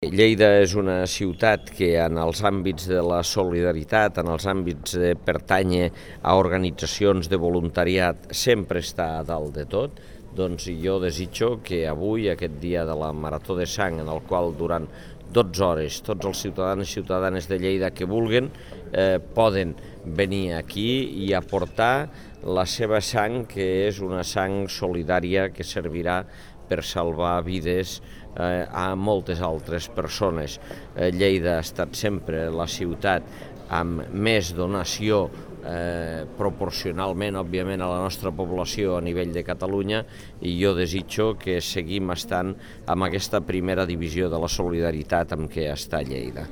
Lleida és una ciutat que en els àmbits de la solidaritat, en els àmbits de pertànyer a organitzacions de voluntariat, sempre està a dalt de tot. Doncs jo desitjo que avui, aquest dia de la Marató de Sang, en el qual durant 12 hores tots els ciutadans i ciutadanes de Lleida que vulguen poden venir aquí i aportar la seva sang, que és una sang solidària que servirà per salvar vides a moltes altres persones. Lleida ha estat sempre la ciutat amb més donació proporcionalment, òbviament, a la nostra població a nivell de Catalunya, i jo desitjo que seguim estant amb aquesta primera divisió de la solidaritat amb què està Lleida.